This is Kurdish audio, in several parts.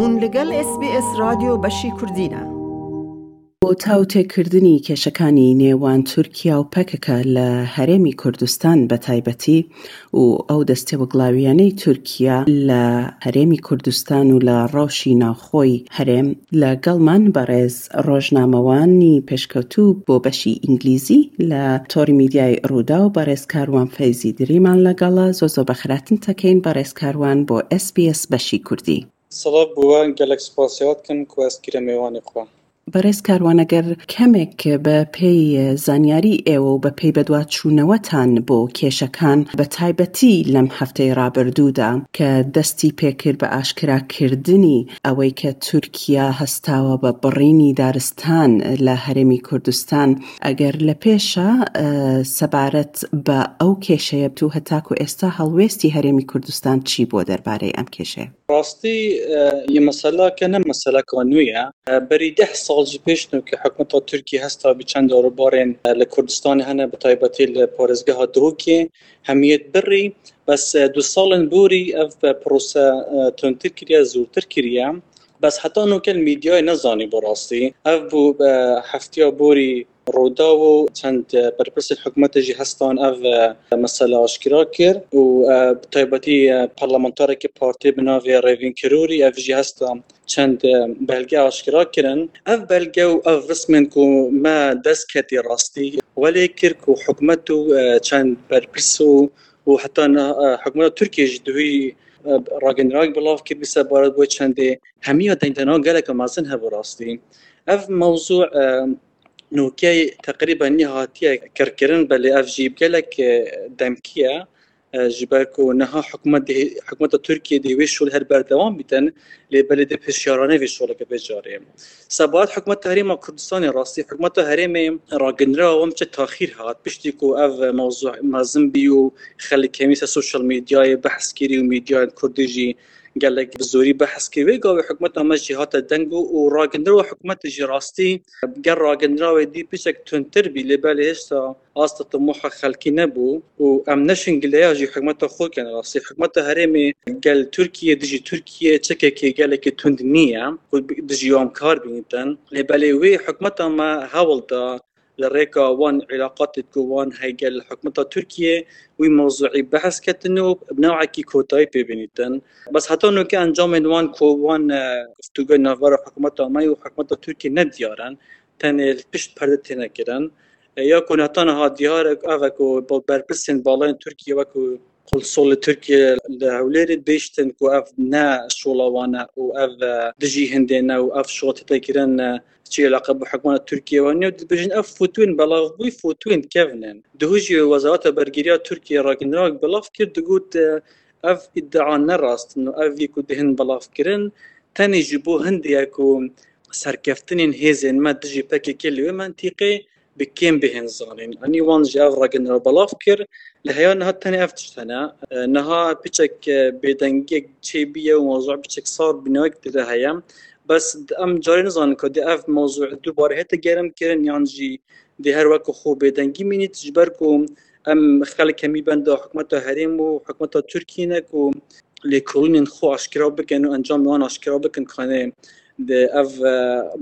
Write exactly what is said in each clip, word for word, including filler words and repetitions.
Hûn li gel S B S Radyo Beşî Kurdî ne. بۆ تاوتێکردنی کێشەکانی نێوان تورکیا و پەکەکە لە هەرێمی کوردستان بە تایبەتی و ئەو دەستێوەگڵاویانەی تورکیا لە هەرێمی کوردستان و لە ڕەوشی ناوخۆی هەرێم، لەگەڵمان بەڕێز ڕۆژنامەوانی پێشکەوتوو بۆ بەشی ئینگلیزی لە تۆڕی میدیای ڕووداو، بەڕێز کاروان فەیزی دریمان لەگەڵە. زۆ زۆ بەخراتن تەکەین بەڕێز کاروان بۆ S B S بەشی کوردی. سڵاو بۆ wan, gelek spasiya dikim ku ez kire mêvanê xwe. بەڕێز کاروان، ئەگەر کەمێک بە پێی زانیاری ئێوە و بە پێی بەدواچوونەوەتان بۆ کێشەکان، بە تایبەتی لەم هەفتەی ڕابردوودا کە دەستی پێکرد بە ئاشکراکردنی ئەوەی کە تورکیا هەستاوە بە بڕینی دارستان لە هەرێمی کوردستان، ئەگەر لە پێشە، ئە، سەبارەت بە ئەو کێشەیە بتو هەتاکو ئێستا هەڵوێستی هەرێمی کوردستان چی بۆ دەربارەی ئەم کێشەیە؟ Rastî, e, yê meselake ne meseleka nû ye. E, berî deh sal ji pêş nû ki hikûmeta Tirkiyê hesta bi çend darobarên, e, li Kurdistanê hene, bi taybetî li parêzgeha Duhokê hemiyet birî. Bes, e, du salên borî ev, e, prose, e, tundtir kiriye, zûrtir kiriye. Bes heta nûke li medyayê nezanî bi rastî. Ev bû, e, heftiya borî Rûdaw û çend, e, berpirsên hikûmetê jî hestan ev, e, mesele aşkera kir û, e, bi taybetî, e, parlamentarekî partiyê bi navê Rêvîn Kirûrî ev jî hesta çend, e, belge aşkera kirin. Ev belge û ev rismên ku me dest ketî rastî welê kir ku hikûmet û, e, çend berpirs û, û heta niha, e, hikûmeta Tirkiyê jî di wî, e, ragihandinavek belav kir, bi sebaret bo çendê hemiya dengdana gelek mezin hebû rastî. Ev mewzû, e, nûkey teqrîben nî hatiye kirkirin, belê ev jî gelek, e, demkî ye. E, ji ber ku niha hikûmet dê, hikûmeta Tirkiyê dê wê şol her berdewam bîtin, lê belê dê piştiyarane vê şoleke vê carê. Sebahat hikûmeta Herêma Kurdistanê rastî, hikûmeta herêmê ragihandina wan biçe taxîr hat, piştî ku ev mewzû mezin bî û xelk hemî ser sosyal medyayê behs kirî û medyayên kurdî jî gelek bi zorî behs kir. Wê gavê hikûmeta me jî hate deng û, û ragihandina hikûmetê jî rastî ger ragihandina wê dî piçek tundtir bî, lê belê hêşta asta timoha xelkî nebû û em neşin gileya jî hikûmeta xwe kin rastî. Hikûmeta herêmê gel Tirkiye, dijî Tirkiye çekekê gelekî tund nîye ku dijî wan kar bînitin. Lê belê wê hikûmeta me hewl da li rêka wan îlaqatê ku wan heye gel hikûmeta Tirkiye wî mewzûî behs ketin û bi newekî kotayî pê bînîtin. Bes heta nûke encamên wan ku wan, e, guftûgoyên navbera hikûmeta me û hikûmeta Tirkiye ne diyar in, tenê li pişt perde têne kirin. E, ya ku heta niha diyar e, ev e ku berpirsên balayên Tirkiye wekû Konsolê Tirkiye li Hewlêrê dibêjtin ku ev ne şola wan e û ev, e, dijî hindê ne û ev şola tête kirin, e, çi îlaqe bi hikûmeta Tirkiye wan ye. Dibêjin ev fotoyên belavbûyî fotoyên kevn in. Duhî jî Wezareta Bergiriya Tirkiye ragihandinavek belav kir, digot, e, ev îdia ne rast in û ev yê ku dihin belavkirin tenê ji bo hindê ye ku serkeftinên hêzên me dijî P K K li wê mentîqê bi kêm bihên zanîn. Anî wan ji ev ragihandina belav kir. Li heya niha tenê ev tişt hene. E, niha piçek, e, bêdengiyek çêbûye û mewzû piçek sar bînayek tê de heye. Bes em carê nizanin ku dê ev mewzû dubare hête germ kirin yan jî dê her wek xwe bêdengî mînît, ji ber ku em xelk hemî benda hikûmeta herêm û hikûmeta Tirkiyê ne ku lêkolînên xwe aşkera bikin û encamê wan aşkera bikin, kanê de ev, e,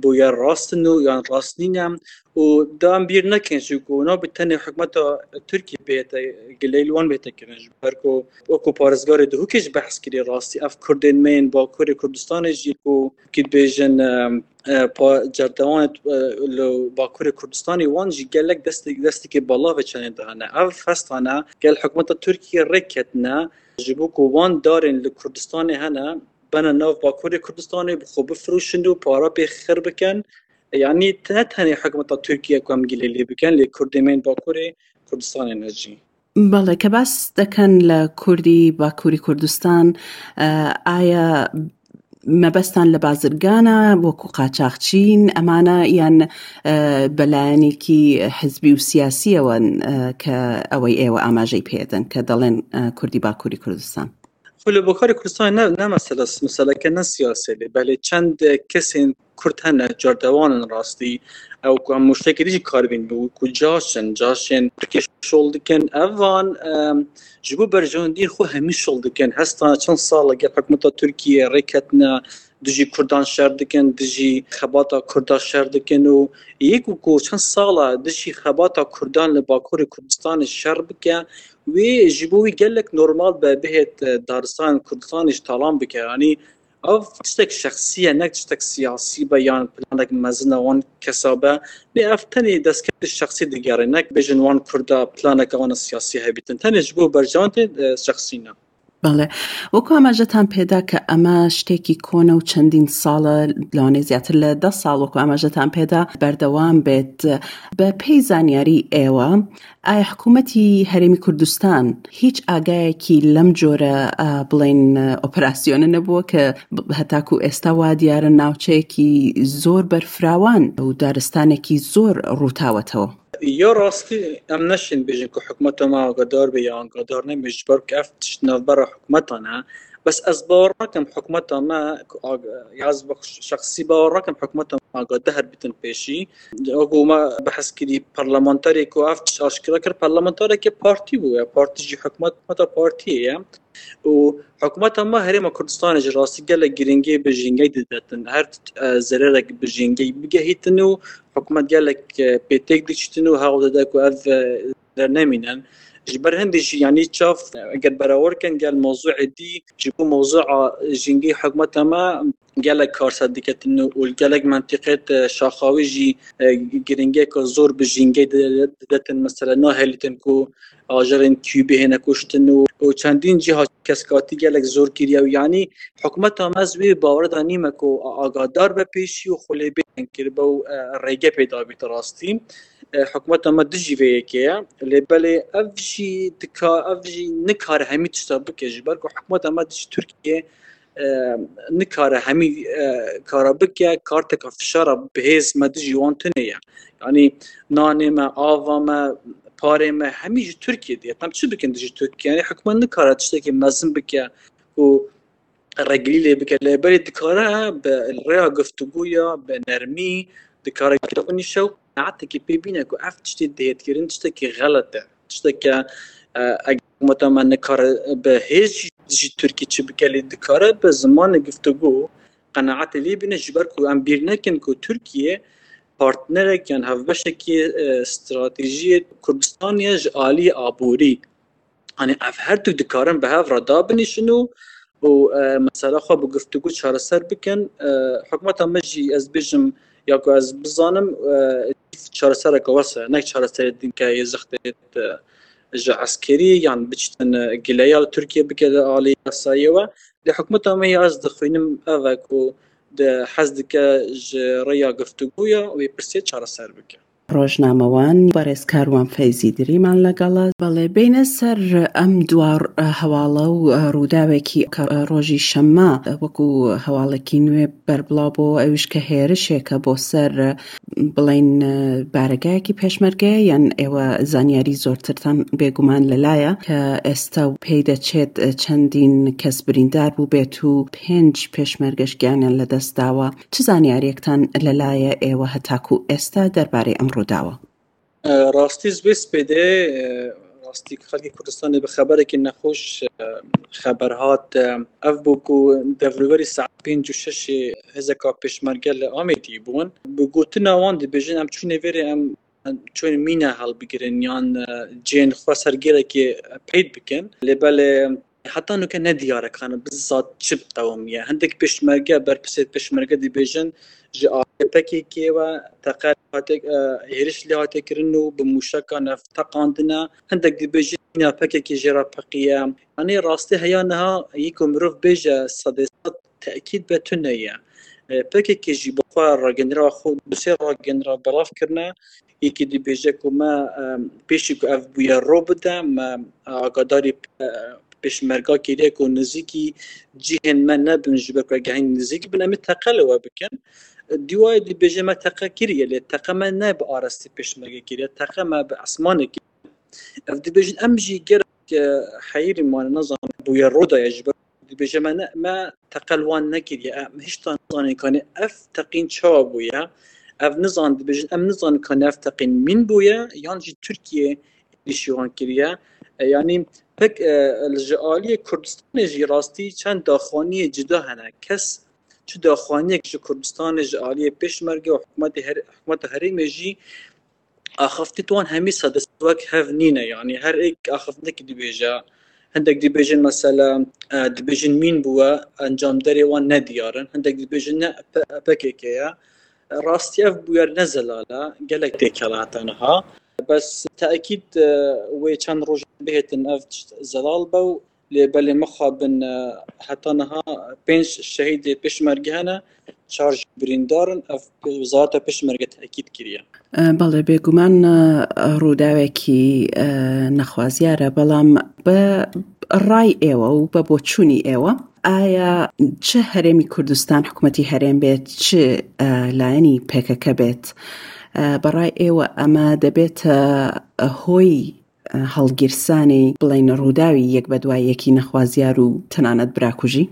bûyer rast in û yan rast nîne. Û da em bîr nekin jî ku nabê tenê hikûmeta Tirkiyê bihête gileyî li wan bihête kirin, ji ber ku wekû parêzgarê Duhokê jî behs kirî rastî ev Kurdên me yên Bakurê Kurdistanê jî ku kî dibêjin, e, e, pa-, cerdewanê, e, li Bakurê Kurdistanê wan jî gelek destek-, destekê belav e çenê de hene. Ev hestane gel hikûmeta Tirkiyê rê ketine, ji bo ku wan darên li Kurdistanê hene, bene nav Bakurê Kurdistanê, bi xwe bifirûşin û para pê xir bikin. Yanî ne tenê hikûmeta Tirkiye ku em gilê lê bikin, lê Kurdê me yên Bakurê Kurdistanê ne jî. بەڵێ، کە باس دەکەن لە کوردی باکووری کوردستان، ئە، ئایا مەبەستان لە بازرگانە وەکو قاچاخچین ئەمانە، یان، ئە، بەلایەنێکی حزبی و سیاسیەوەن، ئە، کە ئەوەی ئێوە ئاماژەی پێدەن کە دەڵێن، ئە، کوردی باکووری کوردستان؟ Xwe li Bakurê Kurdistanê ne, ne mesele, meseleke ne siyasê lê, belê çend kesên Kurd hene, cardewan in rastî, ew ku em muştekê dî jî karibîn bi ku caş in, caşên Tirkiyê şol dikin. Evan, em, ji bo berjewendî xwe hemî şol dikin. Hesta çend sal e gel hikûmeta Tirkiyê rê ketine, dijî Kurdan şer dikin, dijî xebata Kurda şer dikin û yek û ku çend sala dijî xebata Kurdan li Bakurê Kurdistanê şer bike, wê ji bo wî gelek normal be, bihêt, e, daristanên Kurdistanê ji talan bike. Yanî ev tiştek şexsî ye, ne tiştek siyasî be yan planek mezin e wan kesa be. Lê ev tenê destkeftê şexsî digere, ne bêjin wan Kurda planeke wan siyasî hebîtin. Tenê ji bo berjewendê, e, şexsî ne. بەڵێ، وەکو ئاماژەتان پێدا کە ئەمە شتێکی کۆنە و چەندین ساڵە، لەوانەیە زیاتر لە دە ساڵ، وەکو ئاماژەتان پێدا، بەردەوام بێت. بە پێی زانیاری ئێوە، ئایا حکوومەتی هەرێمی کوردستان هیچ ئاگایەکی لەم جۆرە، ئا، بڵێن، ئۆپەراسیۆنە نەبووە کە ب-، هەتاکو ئێستا وا دیارە ناوچەیەکی زۆر بەرفراوان و دارستانێکی زۆر ڕووتاوەتەوە؟ یا rastî em neşên bêjin ku hikûmeta me agadar be ya agadar nebe, ji ber ku ev tişt navbera hikûmetan e. Bes ez bawer nakim hikûmeta me ku ag-, ya ez bi şexsî bawer nakim hikûmeta me agadar bitin pêşî. Wekî me behs kirî parlamenterê ku ev tişt aşkera kir, parlamenterekê partî bû, ya partî jî hikûmet, hikûmeta partiyê ye. Û hikûmeta me Herêma Kurdistanê ji rastî gelek giringî bi jîngey didetin. Her, e, zererek bi jîngey bigehîtin û hikûmet gelek, e, pêtek diçitin û hewl dide ku ev, e, dernemînin. Ji ber hindî jî, yanî çav, e, eger berawer kin gel mewzûê dî, ji bo mewzûa jîngey hikûmeta me gelek kar ser diketin û li gelek mentiqê de şaxa wî jî, e, giringiyeke zor bi jîngey di-, didetin. Mesela nahêlîtin ku ajerên Q B hêne kuştin û, û çendîn cîha keskatî gelek zor kiriye û yanî hikûmeta me ez wê bawer de nîme ku a-, agadar be pêşî û xwe lê bêdeng kiribe û, e, rêge pê dabît rastî. E, hikûmeta me dijî vê yekê ye. Lê belê ev jî dika-, ev jî nikare hemî tişta bike ji ber ku hikûmeta me dijî Tirkiye e, nikare hemî, e, kara bike, karteka fişara bi hêz me dijî wan tune ye. Yanî nanê me, ava me, parê me hemî ji Tirkiye diye. Em çi bikin dijî Tirkiye? Yanî hikûmet nikare tiştekî mezin bike û regilî lê bike. Lê belê dikare bi rêya guftûgûya, bi nermî, dikare gel xwe nîşe û qenaetekî pê bîne ku ev tiştê dihêtkirin tiştekî xelet e. Tişteke, e, eger hikûmeta me nikare bi hêz jî, jî Tirkî çi bike, lê dikare bi zimanê guftûgû qenaetê lê bîne, ji ber ku em bîr nekin ku Tirkiye partnerek yan hevbeşekî, e, stratejiyê Kurdistanê ye ji alî aborî. Hani ev her du dikarin bi hev re dabinîşin û, û, e, mesela xwe bi guftûgû çareser bikin. E, hikûmeta me jî ez bêjim, ya ku ez bizanim, e, çaresereke wes e, ne çareserê dinke yê zextê, e, ji eskerî yan biçitin, e, gileya li Tirkiye bike li alî yasayê we. Lê hikûmeta me ya ez dixwînim ev e ku di hez dike ji rêya guftûgûya wê pirsê çareser bike. ڕۆژنامەوان بەڕێز کاروان فەیزی دریمان لەگەڵە. بەڵێ، بینە سەر ئەم دوا هەواڵە و ڕووداوێکی کە ڕۆژی شەممە وەکو هەواڵێکی نوێ بەربڵاو بۆ ئەویش کە هێرشێکە بۆ سەر، بڵین، بارگایەکی پێشمەرگەیە، یان ئێوە زانیاری زۆرترتان بێگومان لەلایە کە ئێستا پێی دەچێت چەندین کەس بریندار بوو بێت و پێنج پێشمەرگەش گیانیان لەدەستداوە. چ زانیاریەکتان لەلایە ئێوە هەتاکو ئێستا دەربارەی ئەم ڕووداوە؟ Rastî ji vê spêdê, e, rastî xelkê Kurdistanê bi xeberekî nexweş, e, xeber hat. E, ev bû ku devrûverî saet pênc û şeşê hêzeka pêşmerge li Amêdî bûn. Bi gotina wan dibêjin, em çûnê vêrê, em, em çûn mîna helbigirin yan, e, cihên xwe ser gêrekê peyt bikin. Lê belê heta nuke nediyar e, kana bi zad çi qewimiye. Hindek pêşmerge, berpirsê pêşmerge dibêjin, ji aliyê P K K ve teqe hate, e, hêriş lê hate kirin û bi mûşekan ev teqandine. Hindek dibêjin mîna P K K jê re peqiye. Yanî rastî heya niha yê ku mirov bêje sedê sed tekîd be tune ye. E, P K K jî bi xwe ragenera xwe, du sê ragenera belav kirine. Yekî dibêje ku me, e, pêşî ku ev bûyer ro bide, me agadarî, e, pêşmerga kiriye ku nizîkî cihên me nebin, ji ber ku eger hîn nizîk bin, em ê teqe li we bikin. Dîwayê dibêje me teqe kiriye, lê teqe me ne bi arastî pêşmerge kiriye, teqe me bi esmanê kiriye. Ev dibêjin, em jî gerek, e, heyirî mane, nazanin bûyer ro daye, ji ber dibêje me ne, me teqe li wan nekiriye. Em hişta nizanin kanê ev teqîn çawa bûye. Ev nizan, dibêjin, em nizanin kanê ev teqîn mîn bûye yan jî Tirkiye êrîşî wan kiriye. E, yanî pek, e, ji aliyê Kurdistanê jî rastî çend daxuyaniyê cida hene. Kes çi daxuyaniyek ji Kurdistanê, ji aliyê Pêşmerge û hikûmetê her-, hikûmeta herêmê jî axaftin wan hemî sadist wek hev nîne. Yanî her êk axaftinekî dibêje, hindek dibêjin mesela, e, dibêjin mîn bûye, encamderê wan nediyar in, hindek dibêjin ne P-, P K K ye. Rastî ev bûyer ne zelal e, gelek têkela heta niha. Bes tekîd, e, wê çend roj bihêtin ev tişt zelal be û lê belê mixabin, e, heta niha pênc şehîdê Pêşmerge hene, çar jî birîndar in. Ev wezareta Pêşmerge tekîd kiriye. E, بەڵێ، بێگومان، e, ڕووداوێکی، e, نەخوازیارە، بەڵام بە ڕای ئێوە و بە بۆچوونی ئێوە، ئایا چ هەرێمی کوردستان، حکوومەتی هەرێم بێت، چ، e، لایەنی P K K بێت، e، بەڕای ئێوە ئەمە دەبێتە هۆی، e، هەڵگیرسانی، بڵێن، ڕووداوی یەک بە دوای یەکی نەخوازیار و تەنانەت براکوژی؟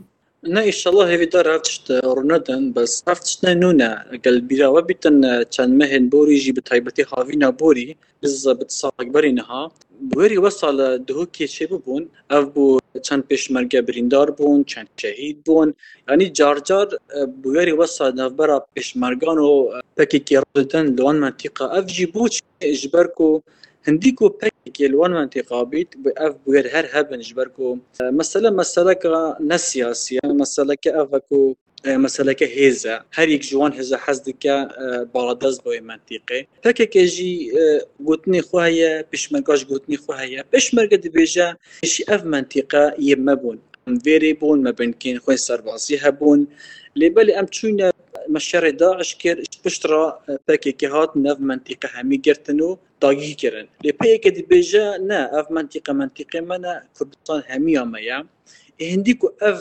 نه، ئیشەڵڵا هێویدار ev tişt rûnedin, bes ev tişt ne nû ne. Gel bîra we bîtin, çend mehên borî jî, bi taybetî havîna borî, bi zebit salek berî niha, bûyerî wesa li Duhokê çêbibûn. Ev bû çend pêşmerge birîndar bûn, çend şehîd bûn. Yanî car car, e, bûyerî wesa navbera pêşmergan û, e, P K K rûdidin li wan mentîqa. Ev jî bû çi? Ji ber ku hindî ku P K K li wan mentîqa bît, bi ev bûyer her hebin, ji ber ku, e, mesele meseleka ne siyasî ye, meseleke ev e ku, e, meseleke hêz e. Her yek ji wan hêza hez dike, e, baladest be wê mentîqê. P K K jî, e, gotinê xwe heye, pêşmerga jî gotinê xwe heye. Pêşmerge dibêje, jî ev mentîqe yê me bûn. Em vêrê bûn, me binkên xwe serbazî hebûn. Lê belê em çûyne, me şerê DAIŞ kir, ji pişt re, e, P K K hatin ev mentîqe hemî girtin û dagîr kirin. Lê P Y K dibêje, ne, ev mentîqe mentîqê me ne, Kurdistan hemiya me ye. Ê hindî ku ev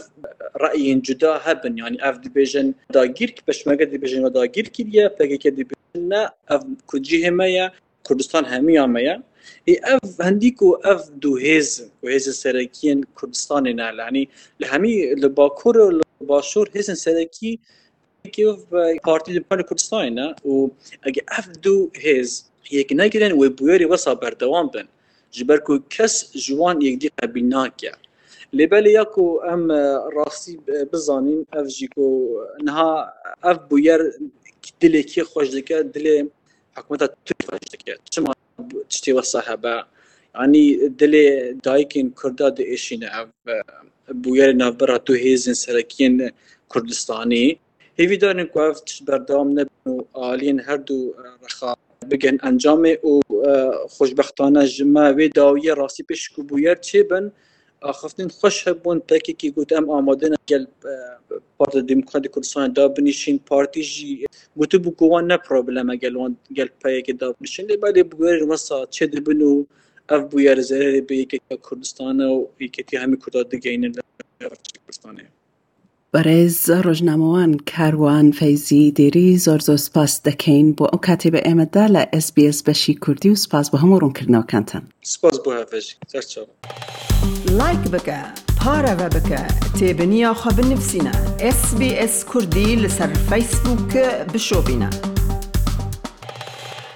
reyên cuda hebin, yanî ev dibêjin dagîr, pêşmerge dibêjin we dagîr kiriye, P K K dibêjin ne, ev ku cihê me ye, Kurdistan hemiya me ye. Ê ev hindî ku ev du hêz, ku hêzên serekiyên Kurdistanê ne, yanî li hemî, li Bakur û li Başûr hêzên serekî Yekî ev, e, Partî Demokratîk Kurdistanê ne û ege ev du hêz yek negirin, wê bûyerê wesa berdewam bin. Ji ber ku kes ji wan yekdî qebîl nake. Lê belê ya ku em, e, rastî, e, bizanîn, ev jî ku niha ev bûyer dilê kê xweş dike, dilê hikûmeta Tirk xweş dike. Çima tiştê wesa hebe? Yanî dilê dayikên Kurda diêşîne ev, e, bûyerê navbera du hêzên serekiyên Kurdistanî. Hêvîdar in ku ev tişt berdewam nebin û aliyên her du, e, rexa bigirin encamê û, e, xweşbextane ji me wê dawiyê rastî pêş ku bûyer çêbin, axaftin xweş hebûn, P K K got, em amade ne gel, e, Partiya Demokratîk Kurdistanê dabinîşîn, partî jî gotibû ku wan ne problem e gel wan gel P Y K dabinîşin. Lê belê bûyerên wesa çêdibin û ev bûyer zererê bi yeketiya Kurdistanê û yeketiya hemî Kurda digeynin li Kurdistanê. بەڕێز ڕۆژنامەوان کاروان فەیزی دێری، زۆر زۆر سپاس دەکەین بۆ ئەو کاتەی بە ئێمەدا لە S B S بەشی کوردی، و سپاس بۆ هەموو ڕوونکردنەوەکانتان. سپاس بۆ هەڤێژی. سەرچاو. لایک بکە، پارەوە بکە، تێبنییا خۆ بنفسینە. S B S کوردی لەسەر فەیسبووک بشۆبینە.